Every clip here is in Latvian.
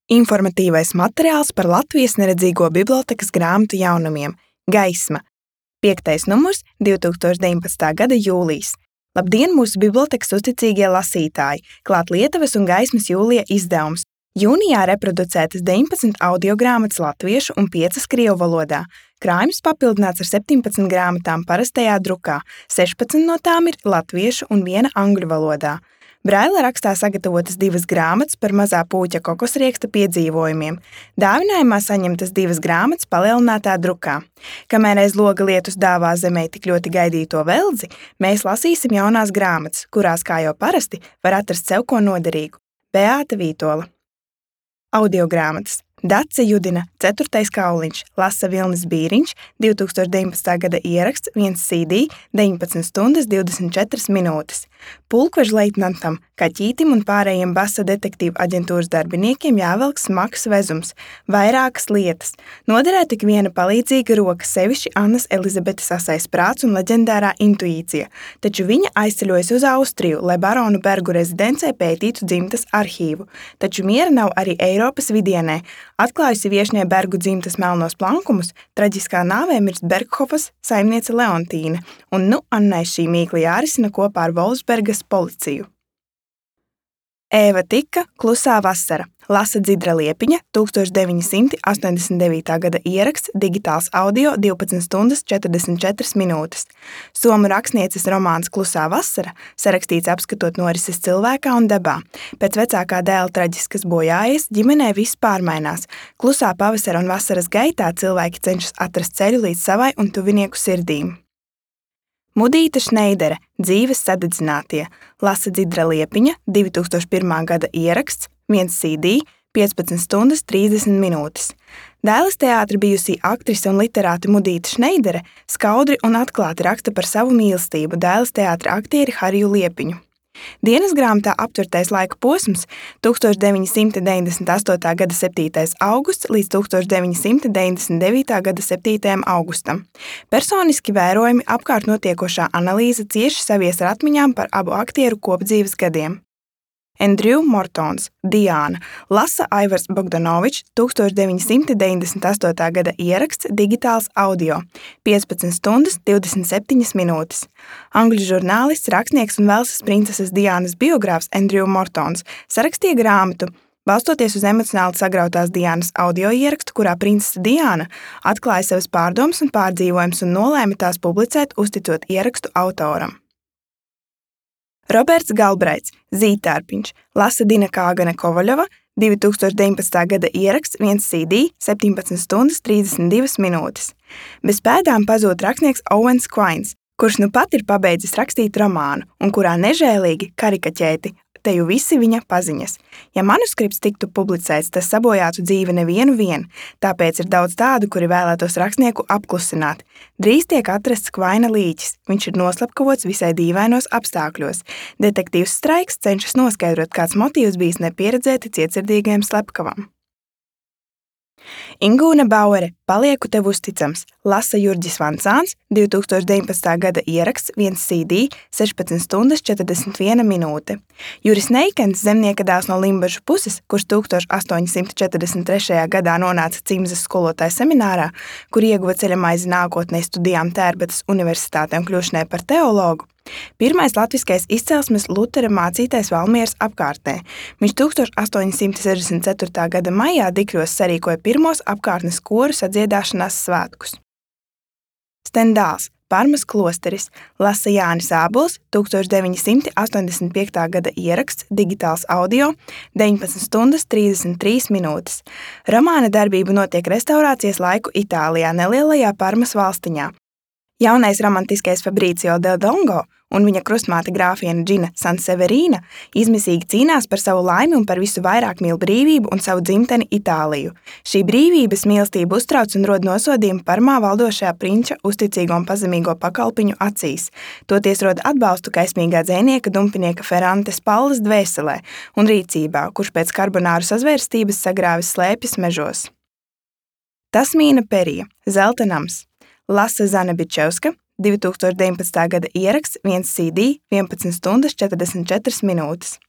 Informatīvais materiāls par Latvijas neredzīgo bibliotēkas grāmatu jaunumiem Gaisma. 5. numurs 2019. gada jūlijas. Labdien, mūsu bibliotēkas uzticīgie lasītāji! Klāt Lietuvas un Gaismas jūlija izdevums. Jūnijā reproducētas 19 audiogrāmatas latviešu un 5 krievu valodā. Krājums papildināts ar 17 grāmatām parastajā drukā, 16 no tām ir latviešu un 1 angļu valodā. Braila rakstā sagatavotas 2 grāmatas par mazā pūķa kokosrieksta piedzīvojumiem. Dāvinājumā saņemtas 2 grāmatas palielinātā drukā. Kamēr aiz loga lietus dāvā zemē tik ļoti gaidīto veldzi, mēs lasīsim jaunās grāmatas, kurās, kā jau parasti, var atrast sev ko noderīgu. Beāta Vītola. Audiogrāmatas. Dace Judina, 4. kauliņš, lasa Vilnis Bīriņš, 2019. gada ieraksts, 1 CD, 19 stundas 24 minūtes. Pulkvežleitnantam, Kaķītim un pārējiem Basa detektīvu aģentūras darbiniekiem jāvelk smags vezums, vairākas lietas. Noderētu tik viena palīdzīga roka, sevišķi Annas Elizabetes asais prāts un leģendārā intuīcija, taču viņa aizceļojas uz Austriju, lai baronu Bergu rezidencē pētītu dzimtas arhīvu. Taču miera nav arī Eiropas vidienē. Atklājusi viešņai Bergu dzimtas melnos plankumus, traģiskā nāvē mirst Berghofas saimniece Leontīne, un Annai šī mīkla jārisina kopā ar Volfsbergas policiju. Ēva Tika, Klusā vasara, lasa Dzidra Liepiņa, 1989. gada ieraksts, digitāls audio, 12 stundas 44 minūtes. Somu rakstnieces romāns Klusā vasara sarakstīts apskatot norises cilvēkā un dabā. Pēc vecākā dēla traģiskas bojājas ģimenē viss pārmainās. Klusā pavasara un vasaras gaitā cilvēki cenšas atrast ceļu līdz savai un tuvinieku sirdīm. Mudīta Šneidere, Dzīves sadedzinātie, lasa Dzidra Liepiņa, 2001. gada ieraksts, 1 CD, 15 stundas 30 minūtes. Dēles teātra bijusī aktrise un literāte Mudīta Šneidere skaudri un atklāti raksta par savu mīlestību dēles teātra aktieri Hariju Liepiņu. Dienas grāmatā aptvertais laika posms 1998. gada 7. augusts līdz 1999. gada 7. augustam. Personiski vērojumi, apkārt notiekošā analīze cieši savies ar atmiņām par abu aktieru kopdzīves gadiem. Andrew Mortons, Diāna, lasa Aivars Bogdanovičs, 1998. gada ieraksts, digitāls audio, 15 stundas 27 minūtes. Angļu žurnālists, rakstnieks un Velsas princeses Diānas biogrāfs Andrew Mortons sarakstīja grāmatu, balstoties uz emocionāli sagrautās Diānas audio ierakstu, kurā princese Diāna atklāja savas pārdomas un pārdzīvojumus un nolēma tās publicēt, uzticot ierakstu autoram. Roberts Galbraits, Zītārpiņš, lasa Dina Kāgane Kovaļova, 2019. gada ieraksts, 1 CD, 17 stundas 32 minūtes. Bez pēdām pazūd rakstnieks Owens Quains, kurš nu pat ir pabeidzis rakstīt romānu un kurā nežēlīgi karikaķēti teju visi viņa paziņas. Ja manuskripts tiktu publicēts, tas sabojātu dzīvi nevienu vien, tāpēc ir daudz tādu, kuri vēlētos rakstnieku apklusināt. Drīz tiek atrasts Kvaina līķis, viņš ir noslapkavots visai dīvainos apstākļos. Detektīvs Straiks cenšas noskaidrot, kāds motīvs bijis nepieredzēti cietsirdīgajam slepkavam. Ingūna Bauere, Palieku tev uzticams, lasa Jurģis Vancāns, 2019. gada ieraksts, 1 CD, 16 stundas 41 minūte. Juris Neikens, zemnieka dēls no Limbažu puses, kurš 1843. gadā nonāca Cimzas skolotāja seminārā, kur ieguva ceļamaizi nākotnē studijām Tērbatas universitātē un kļūšanai par teologu. Pirmais latviskais izcelsmes Lutera mācītais Valmieras apkārtnē. Viņš 1864. gada maijā Dikļos sarīkoja pirmos apkārtnes koru sadziedāšanās svētkus. Stendāls, Parmas klosteris, lasa Jānis Ābols, 1985. gada ieraksts, digitāls audio, 19 stundas 33 minūtes. Romāna darbība notiek restaurācijas laiku Itālijā, nelielajā Parmas valstiņā. Jaunais romantiskais Fabricio del Dongo un viņa krustmāte grāfiene Džina Sanseverīna izmisīgi cīnās par savu laimi un par visu vairāk mīl brīvību un savu dzimteni Itāliju. Šī brīvības mīlestība uztrauc un rod nosodījumu Parmā valdošajā prinča uzticīgo un pazemīgo pakalpiņu acīs. Toties rod atbalstu kaismīgā dzejnieka dumpinieka Ferrantes Pallas dvēselē un rīcībā, kurš pēc karbonāru sazvērstības sagrāvis slēpjas mežos. Tasmīna Perija, Zelta nams. Lasa Zana Bičevska, 2019. gada ieraksts, 1 CD, 11 stundas 44 minūtes.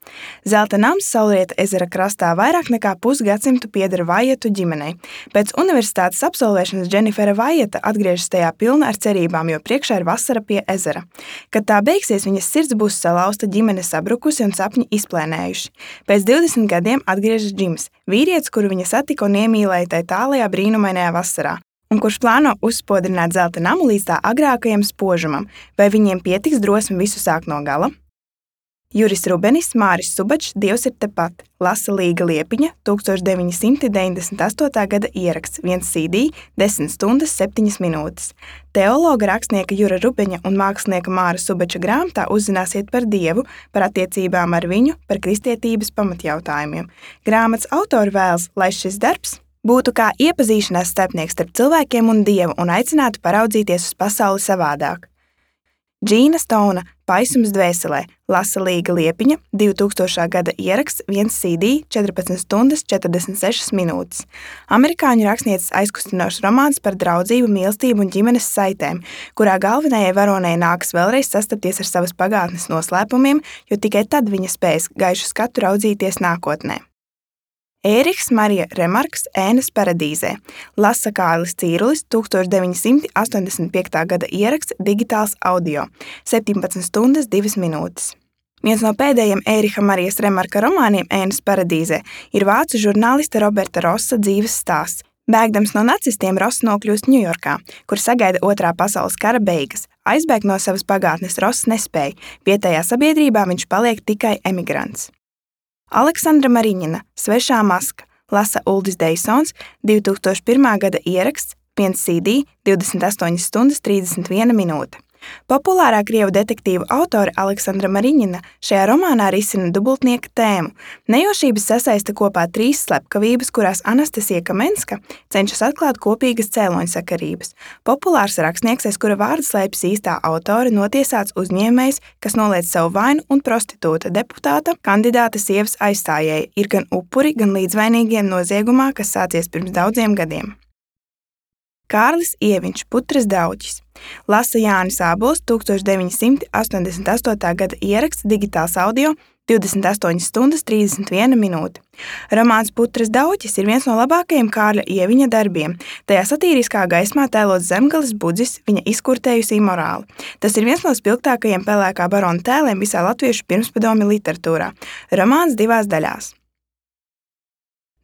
Zelta nams Saulrieta ezera krastā vairāk nekā pusgadsimtu pieder Vaietu ģimenei. Pēc universitātes absolvēšanas Dženifera Vaieta atgriežas tajā pilna ar cerībām, jo priekšā ir vasara pie ezera. Kad tā beigsies, viņas sirds būs salauzta, ģimene sabrukusi un sapņi izplēnējuši. Pēc 20 gadiem atgriežas Džims, vīrietis, kuru viņa satika un iemīlēja tajā tālajā brīnumainajā vasarā, un kurš plāno uzspodrināt zelta namu līdz tā agrākajam spožumam. Vai viņiem pietiks drosmi visu sākt no gala? Juris Rubenis, Māris Subačs, Dievs ir tepat. Lasa Līga Liepiņa, 1998. gada ieraksts, 1 CD, 10 stundas 7 minūtes. Teologa rakstnieka Jura Rubeņa un mākslinieka Māra Subača grāmatā uzzināsiet par Dievu, par attiecībām ar viņu, par kristietības pamatjautājumiem. Grāmatas autori vēlas, lai šis darbs būtu kā iepazīšanās starpnieks starp cilvēkiem un Dievu un aicinātu paraudzīties uz pasauli savādāk. Džīna Stona, Paisums dvēselē, Lasa Līga Liepiņa, 2000. gada ieraksts, 1 CD, 14 stundas 46 minūtes. Amerikāņu rakstnieces aizkustinošs romāns par draudzību, mīlestību un ģimenes saitēm, kurā galvenajai varonei nākas vēlreiz sastapties ar savas pagātnes noslēpumiem, jo tikai tad viņa spēs gaišu skatu raudzīties nākotnē. Ērihs Marija Remarks, Ēnas paradīzē, Lasa Kārlis Cīrulis, 1985. gada ieraksts, digitāls audio, 17 stundas 2 minūtes. Viens no pēdējiem Ēriha Marijas Remarka romāniem Ēnas paradīzē ir vācu žurnālista Roberta Rossa dzīves stāsts. Bēgdams no nacistiem, Ross nokļūst Ņujorkā, kur sagaida Otrā pasaules kara beigas. Aizbēgt no savas pagātnes Ross nespēja, vietējā sabiedrībā viņš paliek tikai emigrants. Aleksandra Mariņina, Svešā maska, Lasa Uldis Deisons, 2001. gada ieraksts, 1 CD, 28 stundas 31 minūte. Populārā krievu detektīvu autore Aleksandra Mariņina šajā romānā risina dubultnieka tēmu. Nejaušības sasaista kopā 3 slepkavības, kurās Anastasija Kamenska cenšas atklāt kopīgas cēloņsakarības. Populārs rakstnieks, aiz kura vārda slēpjas īstā autore, notiesāts uzņēmējs, kas noliedz savu vainu, un prostitūta deputāta kandidāta sievas aizstājēja ir gan upuri, gan līdzvainīgie noziegumā, kas sācies pirms daudziem gadiem. Kārlis Ieviņš, Putras dauķis, Lasa Jānis Ābols, 1988. gada ieraksts, digitāls audio, 28 stundas 31 minūte. Romāns Putras dauķis ir viens no labākajiem Kārļa Ieviņa darbiem. Tajā satīriskā gaismā tēlots zemgales budzis, viņa izkurtējusī morāli. Tas ir viens no spilgtākajiem pelēkā barona tēliem visā latviešu pirmspadomju literatūrā. Romāns 2 daļās.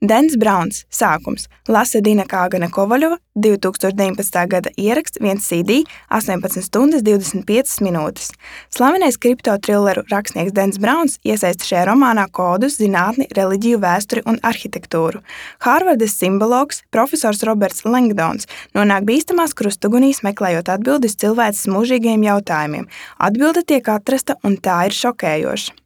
Dens Brauns, Sākums, Lasa Dina Kāgana Kovaļova, 2019. gada ieraksts, 1 CD, 18 stundas 25 minūtes. Slavenais kriptotrilleru rakstnieks Dens Brauns iesaista šajā romānā kodus, zinātni, reliģiju, vēsturi un arhitektūru. Hārvardas simbologs, profesors Roberts Langdons, nonāk bīstamās krustugunīs, meklējot atbildes cilvēces mūžīgajiem jautājumiem. Atbilde tiek atrasta, un tā ir šokējoša.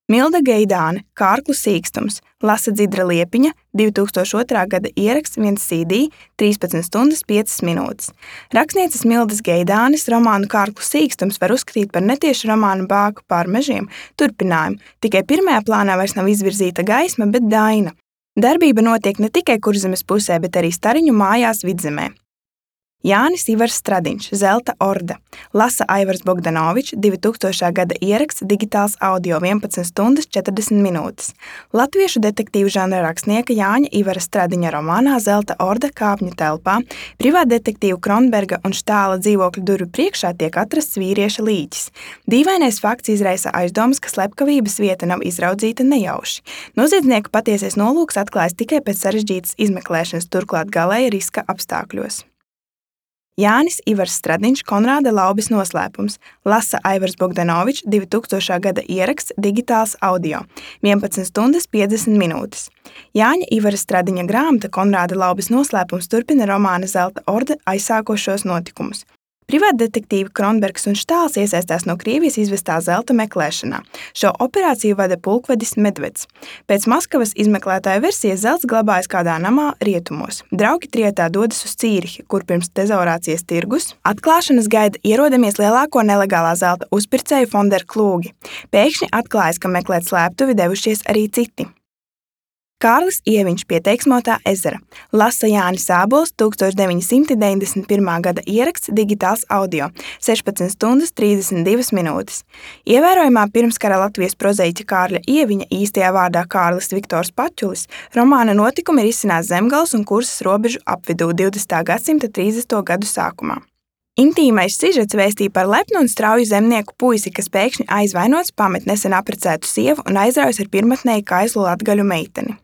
Milda Geidāne, Kārklu sīkstums, Lasa Dzidra Liepiņa, 2002. gada ieraksts, 1 CD, 13 stundas 5 minūtes. Rakstnieces Mildas Geidānes romānu Kārklu sīkstums var uzskatīt par netiešu romānu Bāku pār mežiem turpinājumu, tikai pirmajā plānā vairs nav izvirzīta gaisma, bet daina. Darbība notiek ne tikai Kurzemes pusē, bet arī Stariņu mājās Vidzemē. Jānis Ivars Stradiņš, Zelta orda, Lasa Aivars Bogdanovičs, 2000. gada ieraksts, digitāls audio, 11 stundas 40 minūtes. Latviešu detektīvu žanra rakstnieka Jāņa Ivara Stradiņa romānā Zelta orda kāpņu telpā privātdetektīvu Kronberga un Štāla dzīvokļu durvju priekšā tiek atrasts vīrieša līķis. Dīvainais fakts izraisa aizdomas, ka slepkavības vieta nav izraudzīta nejauši. Noziedznieka patiesais nolūks atklājas tikai pēc sarežģītas izmeklēšanas, turklāt galēja riska apstākļos. Jānis Ivars Stradiņš, Konrāda Laubes noslēpums, Lasa Aivars Bogdanovičs, 2000. gada ieraksts, digitāls audio, 11 stundas 50 minūtes. Jāņa Ivara Stradiņa grāmata Konrāda Laubes noslēpums turpina romāna Zelta orda aizsākošos notikumus. Privātdetektīvi Kronbergs un Štāls iesaistās no Krievijas izvestā zelta meklēšanā. Šo operāciju vada pulkvedis Medveds. Pēc Maskavas izmeklētāja versijas zelts glabājas kādā namā rietumos. Draugi trietā dodas uz Cīrihi, kur pirms tezaurācijas tirgus atklāšanas gaida ierodamies lielāko nelegālā zelta uzpircēju Fonder Klūgi. Pēkšņi atklājas, ka meklēt slēptuvi devušies arī citi. Kārlis Ieviņš pie Teiksmotā ezera. Lasa Jānis Ābols, 1991. gada ieraksts, digitāls audio, 16 stundas 32 minūtes. Ievērojamā pirmskara Latvijas prozaiķa Kārļa Ieviņa, īstajā vārdā Kārlis Viktors Paķulis, romāna notikumi ir izcinās Zemgales un Kursas robežu apvidū 20. gadsimta 30. gadu sākumā. Intīmais sižets vēstīja par lepnu un strauju zemnieku puisi, kas pēkšņi aizvainots, pamet nesen apprecētu sievu un aizraujas ar pirmatnēju kaizlu latgaļu meiteni.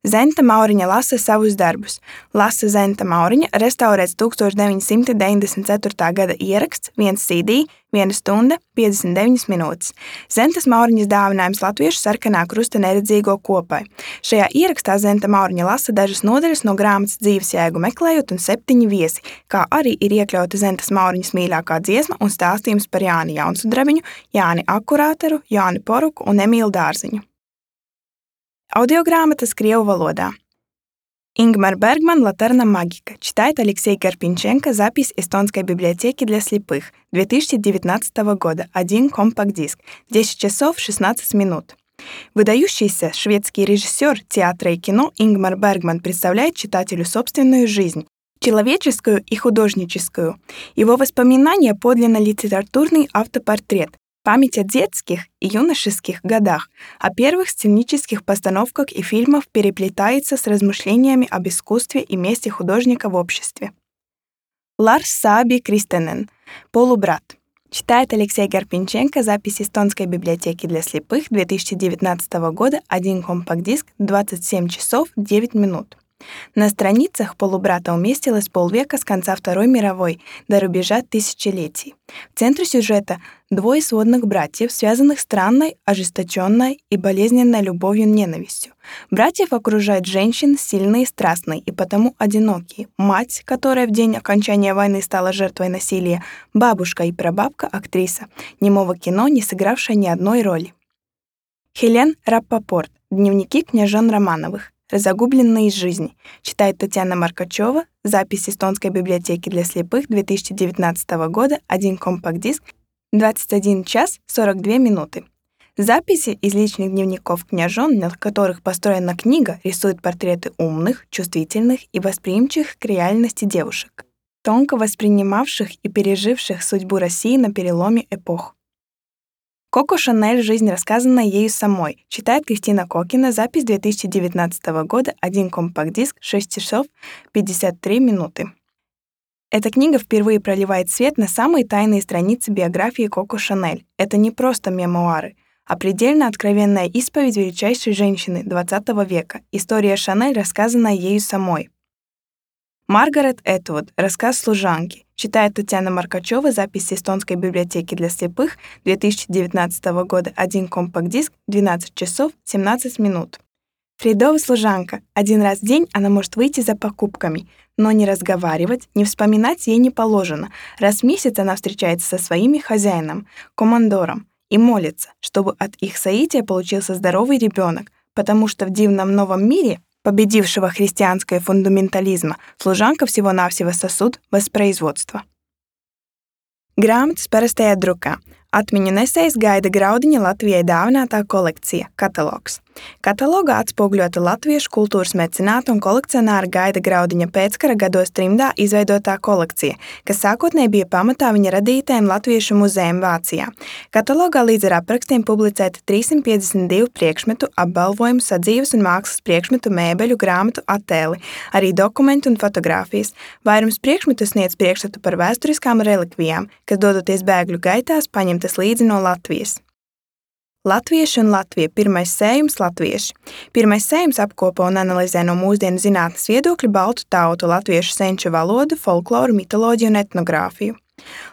Zenta Mauriņa lasa savus darbus. Lasa Zenta Mauriņa restaurēts 1994. gada ieraksts, 1 CD, 1 stunda, 59 minūtes. Zentas Mauriņas dāvinājums latviešu sarkanā krusta neredzīgo kopai. Šajā ierakstā Zenta Mauriņa lasa dažas nodaļas no grāmatas Dzīves jēgu meklējot un 7 viesi, kā arī ir iekļauta Zentas Mauriņas mīļākā dziesma un stāstījums par Jāni Jaunsudrabiņu, Jāni Akurāteru, Jāni Poruku un Emīlu Dārziņu. Аудиограмота крievu валода. Ингмар Бергман «Латерна магика». Читает Алексей Карпинченко. Запись Эстонской библиотеки для слепых. 2019 года. 1 компакт-диск. 10 часов 16 минут. Выдающийся шведский режиссер театра и кино Ингмар Бергман представляет читателю собственную жизнь, человеческую и художническую. Его воспоминания подлинно литературный автопортрет. Память о детских и юношеских годах, о первых сценических постановках и фильмах переплетается с размышлениями об искусстве и месте художника в обществе. Ларс Сааби Кристенен. «Полубрат». Читает Алексей Карпинченко. Запись Эстонской библиотеки для слепых 2019 года. 1 компакт-диск. 27 часов 9 минут. На страницах «Полубрата» уместилось полвека с конца Второй мировой до рубежа тысячелетий. В центре сюжета двое сводных братьев, связанных странной, ожесточенной и болезненной любовью-ненавистью. Братьев окружают женщины, сильные и страстные, и потому одинокие. Мать, которая в день окончания войны стала жертвой насилия, бабушка и прабабка, актриса немого кино, не сыгравшая ни одной роли. Хелен Раппопорт. Дневники княжон Романовых. «Разогубленные из жизни». Читает Татьяна Маркачева. Запись Эстонской библиотеки для слепых 2019 года. 1 компакт-диск. 21 час 42 минуты. Записи из личных дневников княжон, на которых построена книга, рисуют портреты умных, чувствительных и восприимчивых к реальности девушек, тонко воспринимавших и переживших судьбу России на переломе эпох. Коко Шанель «Жизнь, рассказанная ею самой». Читает Кристина Кокина. Запись 2019 года. 1 компакт-диск. 6 часов 53 минуты. Эта книга впервые проливает свет на самые тайные страницы биографии Коко Шанель. Это не просто мемуары, а предельно откровенная исповедь величайшей женщины XX века. История Шанель, рассказанная ею самой. Маргарет Этвуд. Рассказ служанки. Читает Татьяна Маркачева. Запись Эстонской библиотеки для слепых 2019 года. 1 компакт-диск. 12 часов 17 минут. Фридова служанка. Один раз в день она может выйти за покупками, но не разговаривать, не вспоминать ей не положено. Раз в месяц она встречается со своими хозяином, командором, и молится, чтобы от их соития получился здоровый ребенок, потому что в дивном новом мире, победившего христианское фундаментализма, служанка всего-навсего сосуд воспроизводства. Grāmatas parastajā drukā. Atmiņu nesējs Gaida Graudiņa Latvijai dāvinātā kolekcija – katalogs. Katalogā atspoguļota latviešu kultūras mecenāta un kolekcionāra Gaida Graudiņa pēckara gados trimdā izveidotā kolekcija, kas sākotnēji bija pamatā viņa radītajam Latviešu muzejam Vācijā. Katalogā līdz ar aprakstiem publicēti 352 priekšmetu, apbalvojumu, sadzīves un mākslas priekšmetu, mēbeļu, grāmatu attēli, arī dokumenti un fotogrāfijas. Vairums priekšmetu sniedz priekšstatu par vēsturiskām relikvijām, kas dodoties bēgļu gaitās paņemtas līdzi no Latvijas. Latvieši un Latvija. Pirmais sējums latvieši. Pirmais sējums apkopo un analizē no mūsdienu zinātnes viedokļa baltu tautu, latviešu senču valodu, folkloru, mitoloģiju un etnogrāfiju.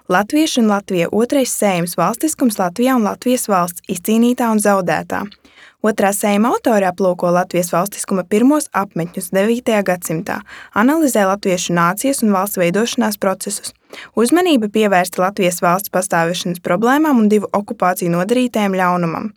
Latvieši un Latvija. Otrais sējums valstiskums Latvijā un Latvijas valsts izcīnītā un zaudētā. Otrā sējuma autori aplūko Latvijas valstiskuma pirmos apmetņus 9. gadsimtā, analizē latviešu nācijas un valsts veidošanās procesus. Uzmanība pievērsta Latvijas valsts pastāvēšanas problēmām un 2 okupāciju nodarītajam ļaunumam.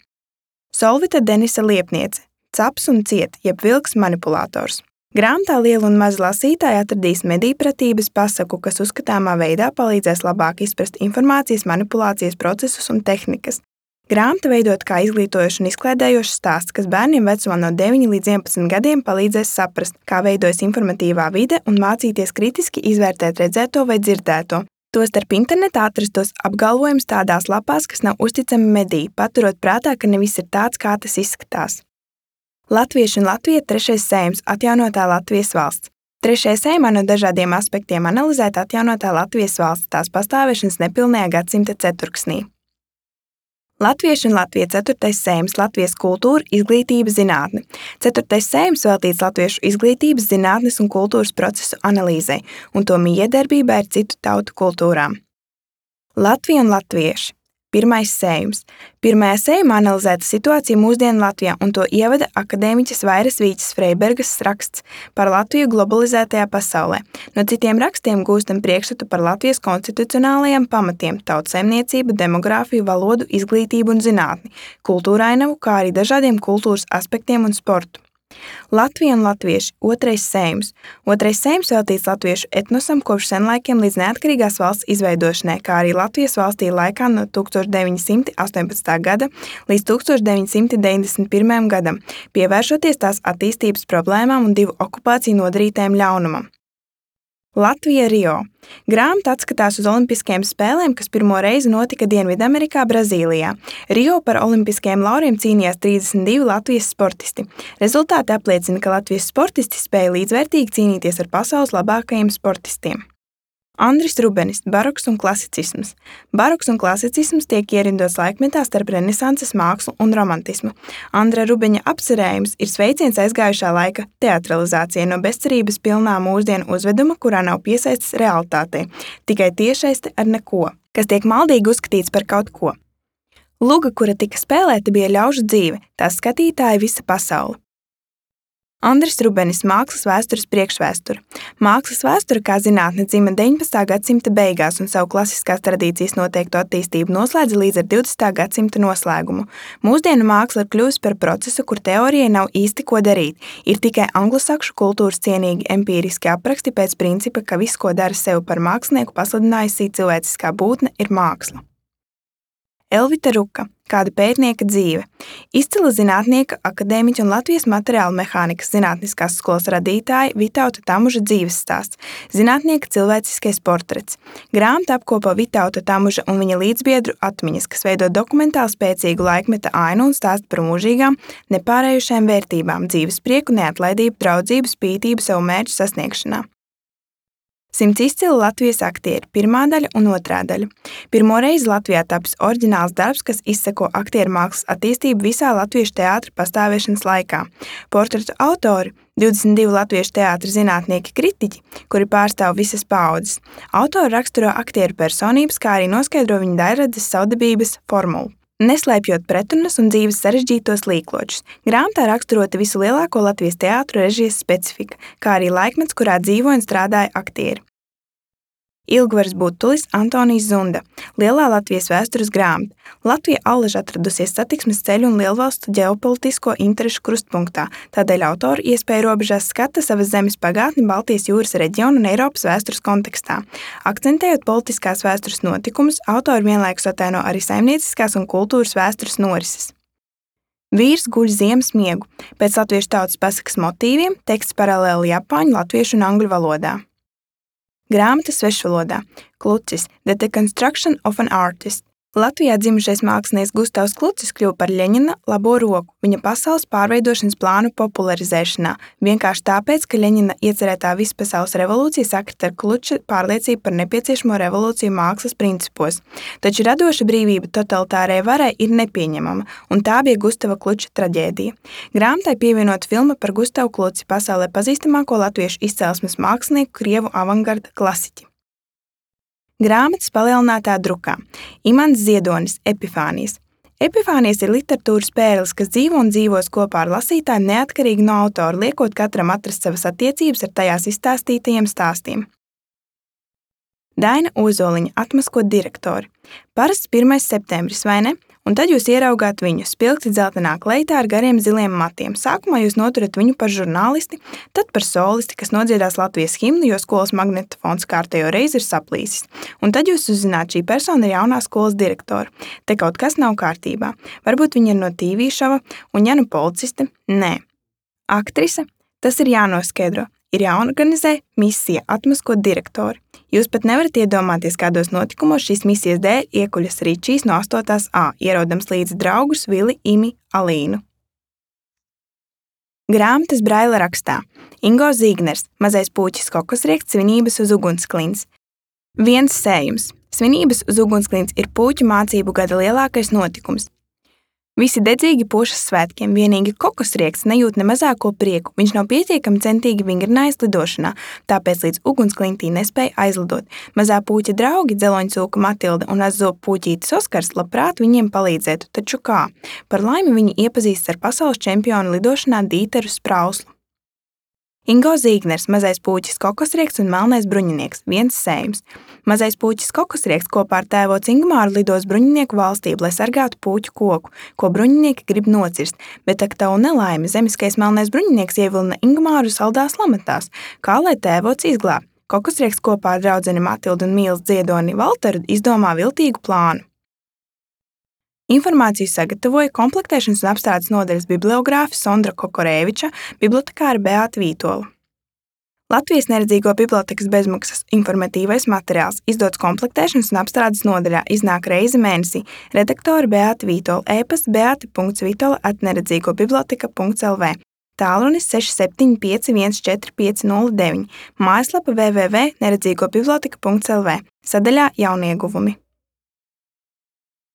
Solvita Denisa Liepniece. Caps un ciet, jeb vilks manipulators. Grāmatā liela un maza lasītāji atradīs medīpratības pasaku, kas uzskatāmā veidā palīdzēs labāk izprast informācijas manipulācijas procesus un tehnikas. Grāmata veidot kā izglītojošs un izklaidējošs stāsts, kas bērniem vecumā no 9 līdz 11 gadiem palīdzēs saprast, kā veidojas informatīvā vide un mācīties kritiski izvērtēt redzēto vai dzirdēto. Tostarp internetā atrastos apgalvojumus tādās lapās, kas nav uzticami mediji, paturot prātā, ka ne viss ir tāds, kā tas izskatās. Latvieši un Latvija – 3. Saeimas atjaunotā Latvijas valsts. 3. Saeimā no dažādiem aspektiem analizēta atjaunotā Latvijas valsts tās pastāvēšanas nepilnajā gadsimta ceturksnī. Latvieši un Latvija 4. Saeimas Latvijas kultūra, izglītība, zinātne. 4. Saeimas veltīts latviešu izglītības, zinātnes un kultūras procesu analīzei un to miedarbībai ar citu tautu kultūrām. Latvija un latvieši. 1. Saeimas. 1. Saeimā analizēta situācija mūsdienu Latvijā un to ievada akadēmiķes Vairas Vīķes Freibergas raksts par Latviju globalizētajā pasaulē. No citiem rakstiem gūstam priekšstatu par Latvijas konstitucionālajiem pamatiem – tautsaimniecību, demogrāfiju, valodu, izglītību un zinātni, kultūrainavu, kā arī dažādiem kultūras aspektiem un sportu. Latvija un latvieši. 2. Saeimas. 2. Saeimas veltīts latviešu etnosam kopš senlaikiem līdz neatkarīgās valsts izveidošanai, kā arī Latvijas valstī laikā no 1918. gada līdz 1991. gadam, pievēršoties tās attīstības problēmām un divu okupāciju nodarītajam ļaunumam. Latvija Rio. Grāmata atskatās uz Olimpiskajām spēlēm, kas pirmo reizi notika Dienvidamerikā, Brazīlijā. Rio par olimpiskajiem lauriem cīnījās 32 Latvijas sportisti. Rezultāti apliecina, ka Latvijas sportisti spēja līdzvērtīgi cīnīties ar pasaules labākajiem sportistiem. Andris Rubenis – baroks un klasicisms. Baroks un klasicisms tiek ierindots laikmetā starp renesanses mākslu un romantismu. Andra Rubeņa apcerējums ir sveiciens aizgājušā laika teatralizācijai no bezcerības pilnā mūsdienu uzveduma, kurā nav piesaistes realitātei, tikai tiešsaiste ar neko, kas tiek maldīgi uzskatīts par kaut ko. Luga, kura tika spēlēta, bija ļaužu dzīve, tās skatītāja visa pasaule. Andris Rubenis – mākslas vēstures priekšvēsture. Mākslas vēsture kā zinātne dzima 19. gadsimta beigās un savu klasiskās tradīcijas noteiktu attīstību noslēdza līdz ar 20. gadsimta noslēgumu. Mūsdienu māksla ir kļuvusi par procesu, kur teorijai nav īsti ko darīt. Ir tikai anglosakšu kultūras cienīgi empīriski apraksti pēc principa, ka viss, ko dara sevi par mākslinieku pasludinājusi cilvēciskā būtne, ir māksla. Elvita Ruka – kāda pētnieka dzīve. Izcila zinātnieka, akadēmiķa un Latvijas materiālu mehānikas zinātniskās skolas radītāja Vitauta Tamuža dzīves stāsts, zinātnieka cilvēciskais portrets. Grāmata apkopo Vitauta Tamuža un viņa līdzbiedru atmiņas, kas veido dokumentāli spēcīgu laikmeta ainu un stāsta par mūžīgām, nepārējušajām vērtībām, dzīves prieku, neatlaidību, draudzību, spītību savu mērķu sasniegšanā. 100 izcili Latvijas aktieri, 1. daļa un 2. daļa. Pirmo reizi Latvijā tapis oriģināls darbs, kas izseko aktieru mākslas attīstību visā latviešu teātra pastāvēšanas laikā. Portretu autori – 22 latviešu teātra zinātnieki kritiķi, kuri pārstāv visas paaudzes. Autori raksturo aktieru personības, kā arī noskaidro viņu daļradzes savdabības formulu. Neslēpjot pretrunas un dzīves sarežģītos līkločus. Grāmatā raksturota visu lielāko Latvijas teātru režijas specifika, kā arī laikmets, kurā dzīvoja un strādāja aktieri. Ilgvaras Butulis, Antonijs Zunda. Lielā Latvijas vēstures grāmata. Latvija allaž atradusies satiksmes ceļu un lielvalstu ģeopolitisko interešu krustpunktā, tādēļ autori iespēju robežās skata savas zemes pagātni Baltijas jūras reģionu un Eiropas vēstures kontekstā. Akcentējot politiskās vēstures notikumus, autori vienlaikus ataino arī saimnieciskās un kultūras vēstures norises. Vīrs guļ ziemas miegu. Pēc latviešu tautas pasakas motīviem teksts paralēli japāņu, latviešu un angļu valodā. Grāmata svešvalodā. Klucis – The Deconstruction of an Artist. Latvijā dzimušais mākslinieks Gustavs Klucis kļuva par Ļeņina labo roku viņa pasaules pārveidošanas plānu popularizēšanā, vienkārši tāpēc, ka Ļeņina iecerētā vispasaules revolūcija sakrita ar Kluča pārliecību par nepieciešamo revolūciju mākslas principos. Taču radoša brīvība totalitārai varai ir nepieņemama, un tā bija Gustava Kluča traģēdija. Grāmatai pievienot filma par Gustavu Kluci, pasaulē pazīstamāko latviešu izcelsmes mākslinieku, krievu avangarda klasiķi. Grāmatas palielinātā drukā. Imants Ziedonis – Epifānijas. Epifānijas ir literatūras pērlis, kas dzīvo un dzīvos kopā ar lasītājiem neatkarīgi no autora, liekot katram atrast savas attiecības ar tajās izstāstītajiem stāstiem. Daina Ozoliņa – Atmaskot direktori. Parasts 1. septembris, vai ne? Un tad jūs ieraugāt viņu spilgti dzeltenā kleitā ar gariem ziliem matiem. Sākumā jūs noturat viņu par žurnālisti, tad par solisti, kas nodziedās Latvijas himnu, jo skolas magnetofons kārtējo reizi ir saplīsis. Un tad jūs uzzināt, šī persona ir jaunā skolas direktora. Te kaut kas nav kārtībā. Varbūt viņa ir no TV šova, un ja nu policiste, nē. Aktrise, tas ir jānoskaidro. Ir jāorganizē misija atmaskot direktori. Jūs pat nevarat iedomāties, kādos notikumos šīs misijas dēļ iekuļas Ričijs no 8. A, ierodams līdzi draugus Vili, Imi, Alīnu. Grāmatas Braila rakstā. Ingo Zīgners, Mazais puķis kokosrieksts, svinības uz ugunsklints. Viens sējums. Svinības uz ugunsklints ir puķu mācību gada lielākais notikums. Visi dedzīgi pošas svētkiem, vienīgi kokosrieksts nejūt ne mazāko prieku. Viņš nav pietiekami centīgi vingrinājis lidošanā, tāpēc līdz ugunsklintī nespēja aizlidot. Mazā puķa draugi, dzeloņcūka Matilda un azzobu puķītis Oskars labprāt viņiem palīdzētu, taču kā? Par laimi viņi iepazīstas ar pasaules čempionu lidošanā Dīteru Sprauslu. Ingo Zīgners, Mazais puķis kokosrieksts un melnais bruņinieks, viens sējums. Mazais puķis kokosrieksts kopā ar tēvoci Ingmāru lidos bruņinieku valstību, lai sargātu puķu koku, ko bruņinieki grib nocirst, bet ak tavu nelaimi zemiskais melnais bruņinieks ievilina Ingmāru saldās lamatās, kā lai tēvoci izglāb. Kokosrieksts kopā ar draudzeni Matildu un mīlas dziedoni Valteru izdomā viltīgu plānu. Informāciju sagatavoja komplektēšanas un apstrādes nodaļas bibliogrāfe Sondra Kokorēviča, bibliotekāre Beāta Vītola. Latvijas neredzīgo bibliotekas bezmaksas informatīvais materiāls izdots komplektēšanas un apstrādes nodaļā, iznāk reizi mēnesī. Redaktore Beāta Vītola, e-pasts beata.vitola@neredzīgobiblioteka.lv, tālrunis 67514509, mājaslapa www.neredzīgobiblioteka.lv, sadaļā Jaunieguvumi.